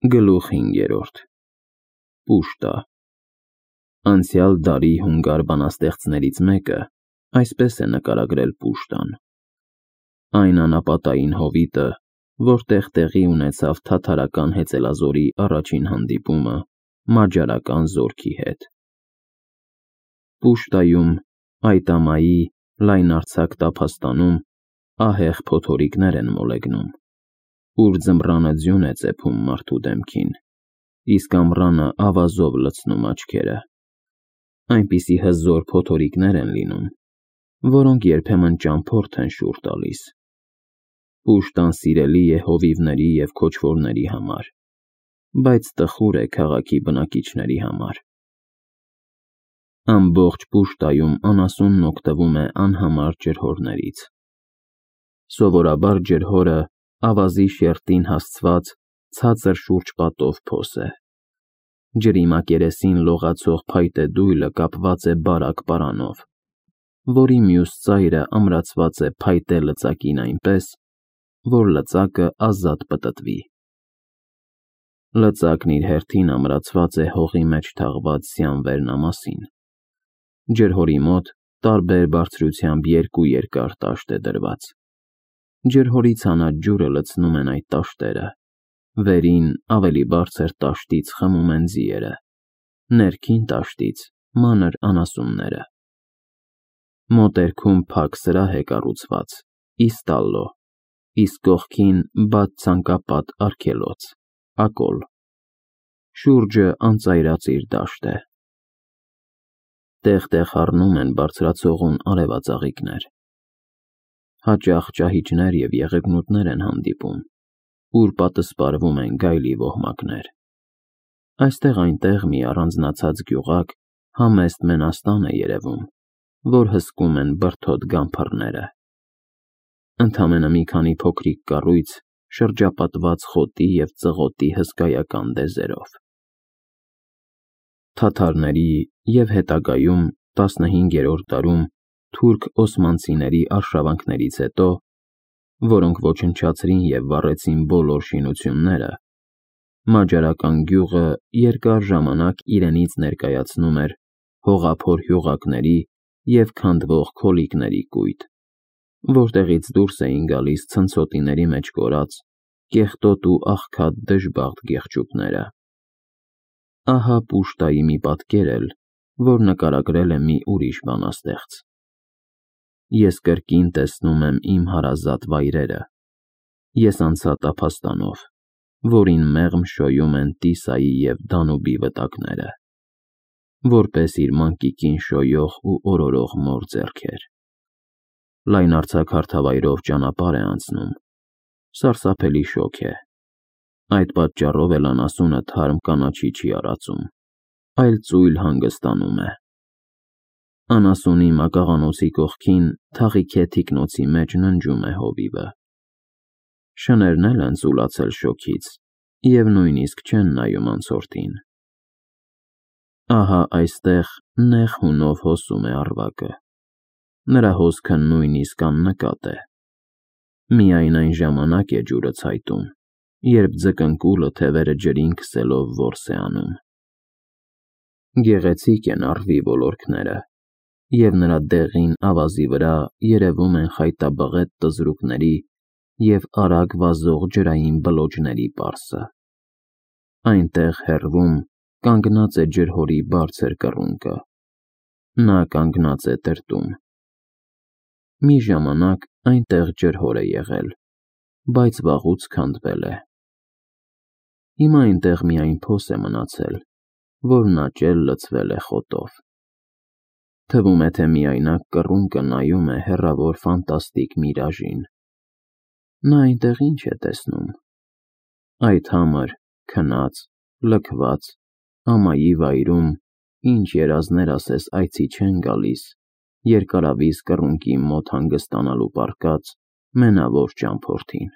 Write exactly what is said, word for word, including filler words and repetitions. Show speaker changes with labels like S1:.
S1: Գլուխ հինգերորդ Պուշտա Անցյալ դարի հունգար բանաստեղծներից մեկը այսպես է նկարագրել Պուշտան. այն անապատային հովիտը, որտեղ տեղի ունեցավ թաթարական հեծելազորի առաջին հանդիպումը մաջարական զորքի հետ։ Պուշտայում, այդ ամայի լայնարձակ տափաստանում ահեղ փոթորիկներ են մոլեգնում, ուր ձմռանը ձյուն է ծեփում մարդու դեմքին, իսկ ամռանը ավազով լցնում աչքերը։ Այնպիսի հզոր փոթորիկներ են լինում, որոնք երբեմն ճամփորդ են շուռ տալիս։ Պուշտան սիրելի է հովիվների և քոչվորների համար, բայց տխուր է քաղաքի բնակիչների համար։ Ամբողջ Պուշտայում անասունն օգտվում է անհամար ջրհորներից։ Սովորաբար ջրհորը ավազի շերտին հասցված ցածր շուրջպատով փոս է։ Ջրի մակերեսին լողացող փայտե դույլը կապված է բարակ պարանով, որի մյուս ծայրը ամրացված է փայտե լծակին այնպես, որ լծակը ազատ պտտվի։ Լծակն իր հերթին ամրացված է հողի մեջ թաղված սյանվերնամասին։ Ջրհորի մոտ տարբեր բարձրությամբ երկու երկար տաշտ է դրված։ Ջրհորի ցանած ջուրը լցնում են այդ տաշտերը, վերին ավելի բարձր տաշտից խմում են ձիերը, ներքին տաշտից մանր անասունները։ Մոտերքում փակ սրահ է կառուցված՝ իստալլո, իսկ կողքին բաց ցանկապատ արգելոց՝ ակոլ։ Շուրջը անծայրածիր դաշտ է։ Տեղ-տեղ հառնում են բարձրացողուն արևածաղիկներ։ Հաճախ ճահիճներ և եղեգնուտներ են հանդիպում, ուր պատսպարվում են գայլի ոհմակներ։ Այստեղ-այնտեղ մի առանձնացած գյուղակ համեստ մենաստան է երևում, որ հսկում են բրդոտ գամփռները։ Ընդամենը մի քանի փոքրիկ կառույց շրջապատված խոտի և ծղոտի հսկայական դեզերով։ Թաթարների և հետագայում տասնհինգերորդ դարում թուրք-օսմանցիների արշավանքներից հետո, որոնք ոչնչացրին և վառեցին բոլոր շինությունները, մաջարական գյուղը երկար ժամանակ իրենից ներկայացնում էր հողափոր հյուղակների և քանդվող քոլիկների կույտ, որտեղից դուրս էին գալիս ցնցոտիների մեջ կորած, կեղտոտ ու աղքատ դժբախտ գեղչուկները։ Ահա Պուշտայի մի պատկեր էլ, որ նկարագրել է մի ուրիշ բանաստեղծ. Ես կրկին տեսնում եմ իմ հարազատ վայրերը, ես անցա տափաստանով, որին մեղմ շոյում են Տիսայի և Դանուբի վտակները, որպես իր մանկիկին շոյող ու օրորող մոր ձեռքեր։ Լայնարձակ հարթավայրով ճանապարհ է անցնում, սարսափելի շոգ է, այդ պատճառով էլ անասունը թարմ կանաչի չի արածում, այլ ծույլ հանգստանում է։ Անասունի մակաղանոցի կողքին թաղիքե թիկնոցի մեջ ննջում է հովիվը։ Շներն էլ են ծուլացել շոգից և նույնիսկ չեն նայում անցորդին։ Ահա այստեղ նեղ հունով հոսում է առվակը, նրա հոսքը նույնիսկ աննկատ է։ Միայն այն ժամանակ է ջուրը ցայտում, երբ ձկնկուլը թևերը ջրին քսելով որս է անում։ Գեղեցիկ են առվի ոլորքները, և նրա դեղին ավազի վրա երևում են խայտաբղետ տզրուկների և արագ վազող ջրային բլոջների պարսը։ Այնտեղ հեռվում կանգնած է ջրհորի բարձր կռունկը։ Նա կանգնած է տրտում։ Մի ժամանակ այնտեղ ջրհոր է եղել, բայց վաղուց քանդվել է։ Հիմա այնտեղ միայն փոս է մնացել, որն աճել լցվել է խոտով։ Թվում է, թե միայնակ կռունկը նայում է հեռավոր ֆանտաստիկ միրաժին։ Նա այնտեղ ինչ է տեսնում։ Այդ համր, քնած, լքված ամայի վայրում ինչ երազներ ասես այցի չեն գալիս երկարավիզ կռունկի մոտ հանգստանալու պառկած մենավոր ճամփորդին։